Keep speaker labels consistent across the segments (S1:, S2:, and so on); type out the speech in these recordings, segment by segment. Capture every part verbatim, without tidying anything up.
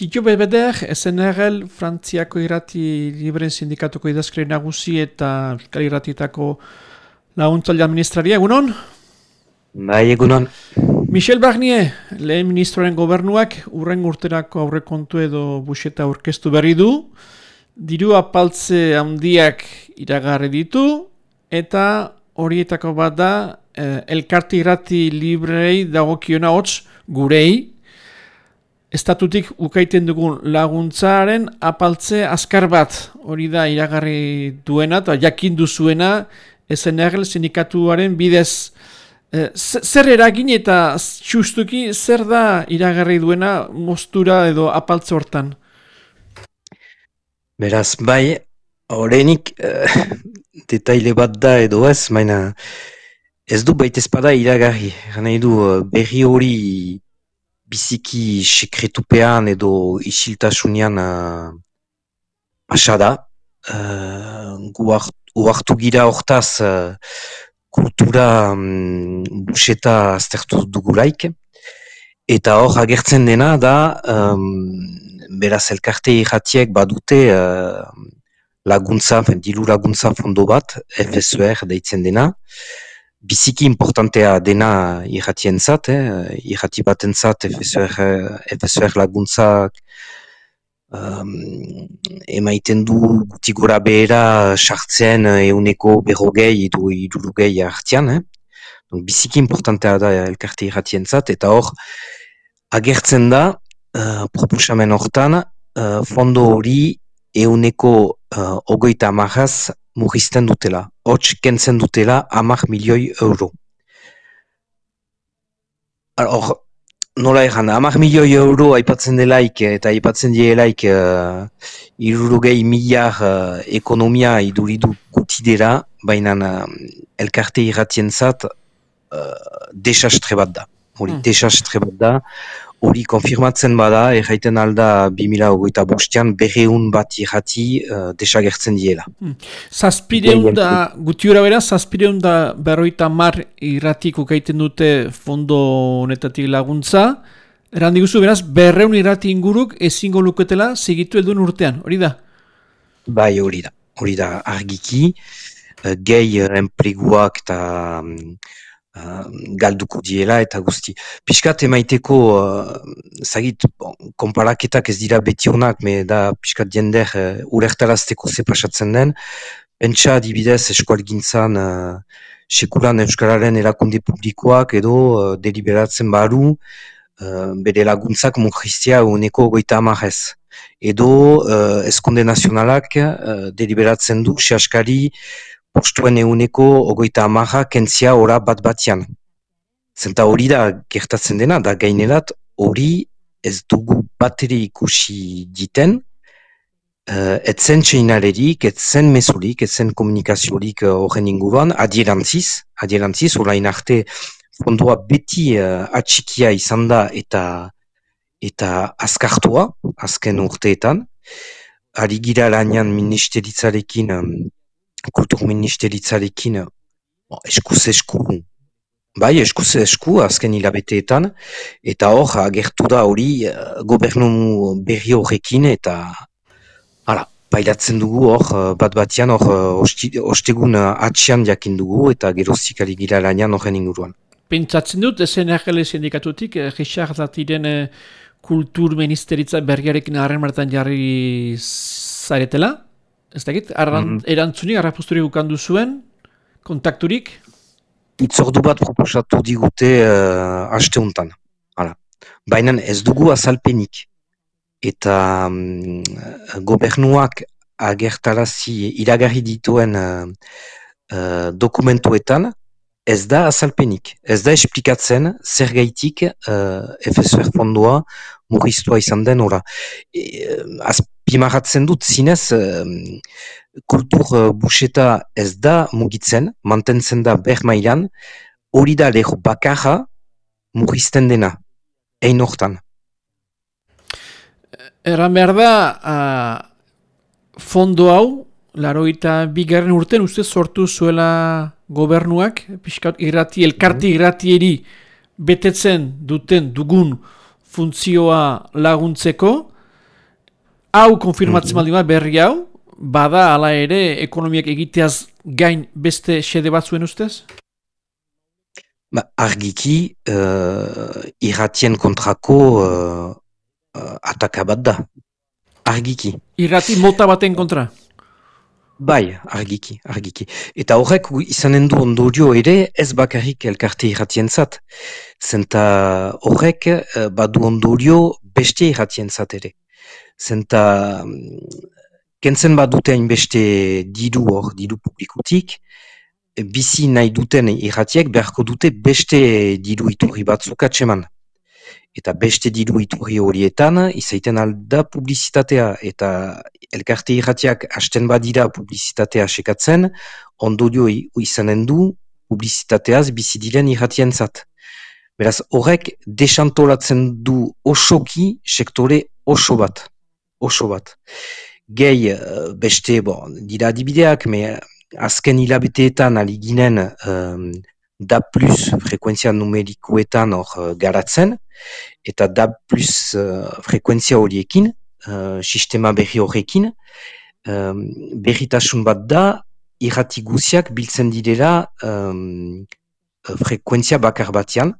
S1: Tito Bebeder, S N R L, Frantziako irrati libren sindikatuko idazkari nagusi eta Euskal Irratietako laguntzaile administraria, egunon?
S2: Bai, egunon.
S1: Michel Barnier, lehen ministroaren gobernuak urren urterako aurrekontu edo buxeta aurkeztu berri du, diru apaltze handiak iragarri ditu, eta horietako bat da eh, elkarte irrati librei dagokiona hots gurei, estatutik ukaiten dugun laguntzaren apaltze azkar bat, hori da iragarri duena eta jakin duzuena S N R L sindikatuaren bidez. Eh, zer eragin eta justuki zer da iragarri duena moztura edo apaltze hortan?
S2: Beraz, bai, horrenik uh, detaile bat da edo ez, baina ez du baita espada iragarri. Gana edu berri hori biziki sekretupean edo isiltasunean uh, pasada. Uh, gu hartu gira hortaz uh, kultura um, buseta aztertu dugulaik. Eta hor agertzen dena da, um, beraz elkarte irratiek badute uh, laguntza, diru laguntza fondo bat, F S O R deitzen dena. Biziki importantea dena irratientzat, eh? Irrati batentzat F S O R, F S O R laguntzak um, emaiten du guti gora behera sartzen euneko berrogei edo hirurogei hartian. Eh? Biziki importantea da elkarte irratientzat, eta hor agertzen da uh, proposamen hortan uh, fondo hori euneko uh, ogoita amarraz murrizten dutela. Hots kentzen dutela hamar milioi euro. Hor, nola egan, hamar milioi euro aipatzen delaik eta aipatzen dielaik uh, hirurogei miliar uh, ekonomia iduridu gutidera, baina uh, elkarte irratientzat uh, desastre bat da. Hori, hmm. desastre bat da. Hori konfirmatzen bada, erraiten alda bi mila hogeita bostean berreun bat irrati uh, desagertzen diela.
S1: Hmm. Zazpireun da, gutiura bera, zazpireun da berroita mar irratik ukaiten dute fondo honetatik laguntza. Eran diguzu, beraz, berreun irrati inguruk ezingo luketela segitu helduen urtean, hori da?
S2: Bai, hori da. Hori da, argiki, uh, gehi uh, enpleguak eta um, Uh, galduko diela eta guzti. Piskat emaiteko, uh, zagit, bon, konparaketak ez dira beti honak, me da piskat jender uh, urertarazteko ze pasatzen den. Pentsa adibidez eskualgintzan uh, sekulan euskararen erakunde publikoak edo uh, deliberatzen baru uh, bere laguntzak murriztea uneko goita amarrez. Edo uh, eskonde nazionalak uh, deliberatzen du sehaskari postuen euneko ogoita amarra kentzia ora bat batian. Zenta hori da gertatzen dena, da gainerat hori ez dugu bateri ikusi diten, uh, etzen txeinalerik, etzen mesurik, etzen komunikaziorik horren uh, inguruan, adierantziz, adierantziz, orain arte fondoa beti uh, atxikia izan da eta, eta azkartua, azken urteetan, ari gira lanean ministeritzarekin, um, kultur ministeritzarekin oh, eskuz esku, bai eskuz esku azken hilabeteetan, eta hor agertu da hori uh, gobernu berri horrekin, eta hala, pailatzen dugu hor bat batian hor ostegun uh, atxian jakin dugu, eta geroztik ari gira lanean horren inguruan.
S1: Pentsatzen dut, S N R L sindikatutik, eh, Richard Zatiren eh, kultur ministeritza berriarekin harren martan jarri zaretela? Ez dakit, mm-hmm. erantzunik, arraposturik ukandu zuen, kontakturik?
S2: Itzordu bat proposatu digute uh, asteuntan. Baina ez dugu azalpenik. Eta um, gobernuak agertarazi iragarri dituen uh, uh, dokumentuetan ez da azalpenik. Ez da esplikatzen zer gaitik uh, F S O R fondoa murriztua izan den ora. E, azpimarratzen dut zinez uh, kultur uh, buseta ez da mugitzen, mantentzen da ber mailan, hori da leho bakarra murrizten dena, ein hortan.
S1: Erran behar da, uh, fondo hau, larogeita bigarren urten uste sortu zuela gobernuak, pixkat irrati, elkarti irratieri betetzen duten dugun funtzioa laguntzeko, hau konfirmatzen baldin bat berri hau, bada hala ere ekonomiak egiteaz gain beste xede bat zuen ustez?
S2: Ba, argiki, uh, irratien kontrako uh, uh, ataka bat da. Argiki.
S1: Irrati mota baten kontra?
S2: Bai, argiki, argiki. Eta horrek izanen du ondorio ere ez bakarrik elkarte irratien zat. Zenta horrek uh, badu ondorio beste irratien zat ere. Zenta um, kentzen badute hainbeste diru hor, diru publikutik, bizi nahi duten irratiek beharko dute beste diru iturri batzuk atseman. Eta beste diru iturri horietan izaiten alda publizitatea eta elkarte irratiak hasten badira publizitatea sekatzen, ondorio izanen du publizitateaz bizi diren irratientzat. Beraz horrek desantolatzen du osoki sektore oso bat. Oso bat. Gehi beste, bon, dira adibideak, me azken hilabeteetan ali ginen um, da plus frekuentzia numerikoetan hor uh, garatzen, eta da plus uh, frekuentzia horiekin, uh, sistema berri horrekin, um, berritasun bat da, irrati guziak biltzen direla um, frekuentzia bakar batean.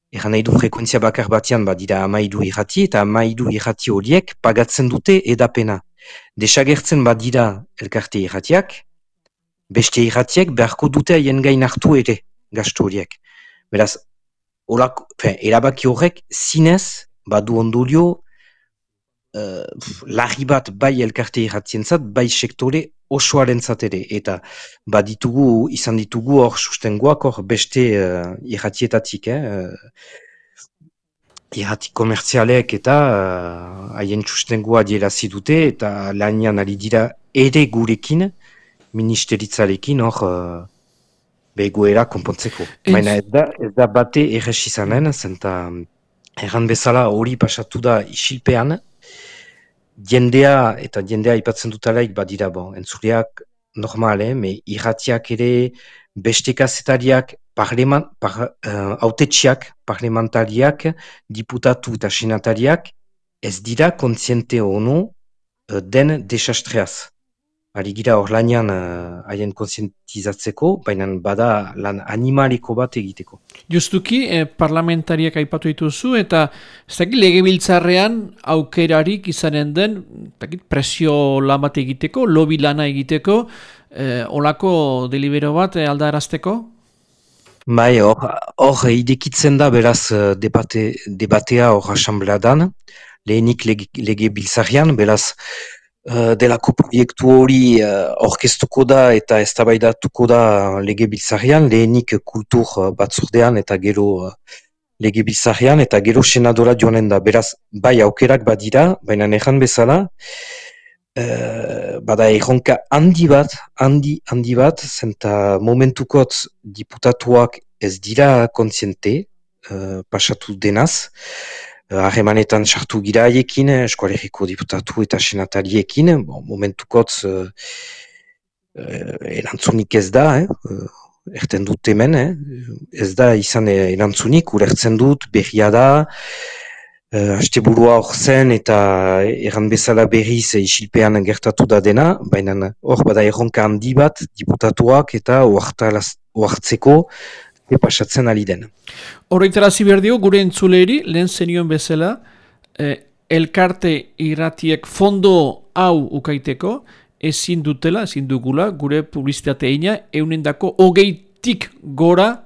S2: Eran nahi du frekuentzia bakar batean badira amaidu irrati, eta amaidu irrati horiek pagatzen dute edapena. Desagertzen badira elkarte irratiak, beste irratiek beharko dute haien gain hartu ere gastu horiek. Beraz, olako, fe, erabaki horrek zinez badu ondorio uh, larri bat bai elkarte irratientzat, bai sektore osoarentzat ere. Eta baditugu, izan ditugu hor sustengoak hor beste uh, irratietatik, eh? Irrati komertzialek eta haien uh, sustengoa dierazi dute eta lanian ari dira ere gurekin, ministeritzarekin hor uh, begoera konpontzeko. Baina ez da, ez da bate errez izanen, zenta erran bezala hori pasatu da isilpean, jendea eta jendea ipatzen dutalaik badira, bon, entzuleak normal, eh, me irratiak ere beste kazetariak, parleman, par, uh, autetxiak, parlamentariak, diputatu eta senatariak, ez dira kontziente ono uh, den desastreaz. Ari gira hor lanian haien uh, kontzientizatzeko, baina bada lan animaliko bat egiteko.
S1: Justuki, eh, parlamentariak aipatu dituzu, eta ez dakit legebiltzarrean aukerarik izanen den, dakit, presio lan bat egiteko, lobby lana egiteko, eh, olako delibero bat eh, aldarazteko?
S2: Bai, hor idekitzen da beraz debate, debatea hor asambleadan, lehenik lege, lege biltzarian, beraz Uh, delako proiektu hori uh, orkestuko da eta eztabaidatuko da lege biltzarian, lehenik kultur uh, batzordean eta gero uh, lege biltzarian eta gero senadora joanen da. Beraz, bai aukerak badira, baina nejan bezala, uh, bada erronka handi bat, handi, handi bat, zenta momentukot diputatuak ez dira kontziente, uh, pasatu denaz, harremanetan uh, sartu gira haiekin, eskualeriko diputatu eta senatariekin, bon, momentukotz uh, uh, erantzunik ez da, eh? uh, erten dut hemen, eh? ez da izan erantzunik, urertzen dut, berria da, uh, hasteburua hor zen eta erran bezala berriz isilpean gertatu da dena, baina hor bada erronka handi bat, diputatuak eta oartzeko, pasatzen ari den.
S1: Horreitarazi behar dio, gure entzuleri, lehen zenioen bezala, eh, elkarte irratiek fondo hau ukaiteko, ezin dutela, ezin dugula, gure publizitateina, eunendako hogeitik gora,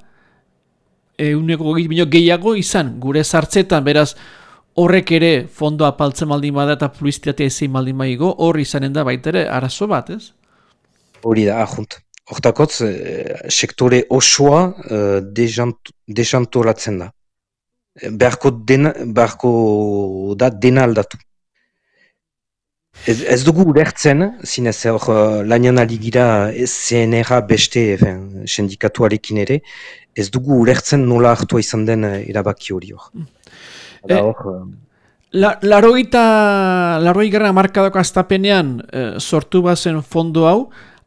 S1: euneko hogeit bineo gehiago izan, gure sartzetan, beraz, horrek ere fondo apaltzen maldin bada eta publizitatea ezin maldin baigo, hor izanen da baitere arazo bat, ez?
S2: Hori da, ahunt. Hortakotz, eh, sektore osoa eh, desantolatzen da. Beharko, dena, beharko da dena aldatu. Ez, ez dugu ulertzen, zinez hor lanian ali gira Z N R beste fin, sindikatuarekin ere, ez dugu ulertzen nola hartua izan den erabaki hori hor.
S1: Eh, hor la, laroita, laroi gara markadoko astapenean eh, sortu bazen fondo hau,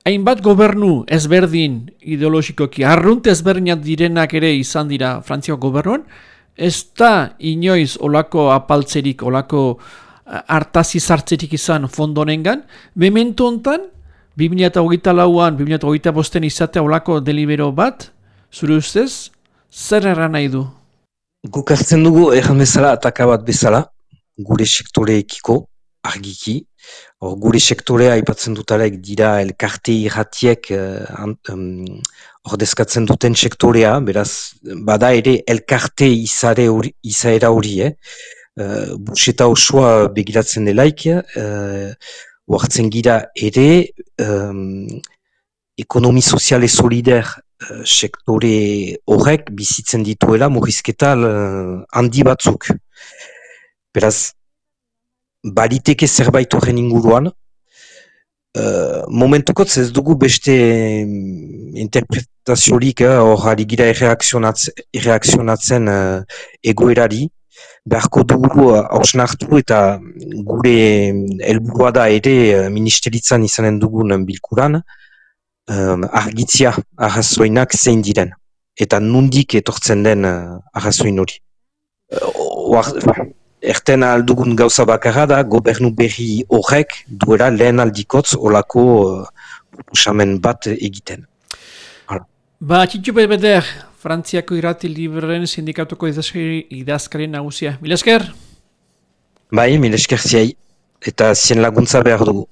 S1: hainbat gobernu ezberdin ideologikoki, arrunt ezberdinak direnak ere izan dira Frantziako gobernuan, ez da inoiz olako apaltzerik, olako hartazi zartzetik izan fondonengan. Memento hontan, bi mila hogeita lauan, bi mila hogeita bosten izatea olako delibero bat, zure ustez, zer erran nahi du?
S2: Guk hartzen dugu erran bezala, ataka bat bezala, gure sektoreekiko, argiki. Or, gure sektorea aipatzen dutalek dira elkarte irratiek uh, um, ordezkatzen duten sektorea, beraz, bada ere elkarte izare hori, izaera hori, eh? Uh, buseta osoa begiratzen delaik, uh, oartzen gira ere um, ekonomi soziale solider uh, sektore horrek bizitzen dituela murrizketa uh, handi batzuk. Beraz, baliteke zerbait horren inguruan, uh, momentukotz ez dugu beste interpretaziorik hor uh, aligira erreakzionatzen uh, egoerari, beharko dugu hausnartu uh, eta gure helburua da ere uh, ministeritzan izanen dugun bilkuran, um, argitzia arrazoinak zein diren, eta nundik etortzen den uh, arrazoin hori. Uh, Erten aldugun gauza bakarra da, gobernu berri horrek duela lehen aldikotz olako proposamen uh, bat egiten. Hala.
S1: Ba, Txitxu Beder, Frantziako irrati libreren sindikatuko idazkari nagusia. Mil esker?
S2: Bai, mil esker ziai, eta zien laguntza behar dugu.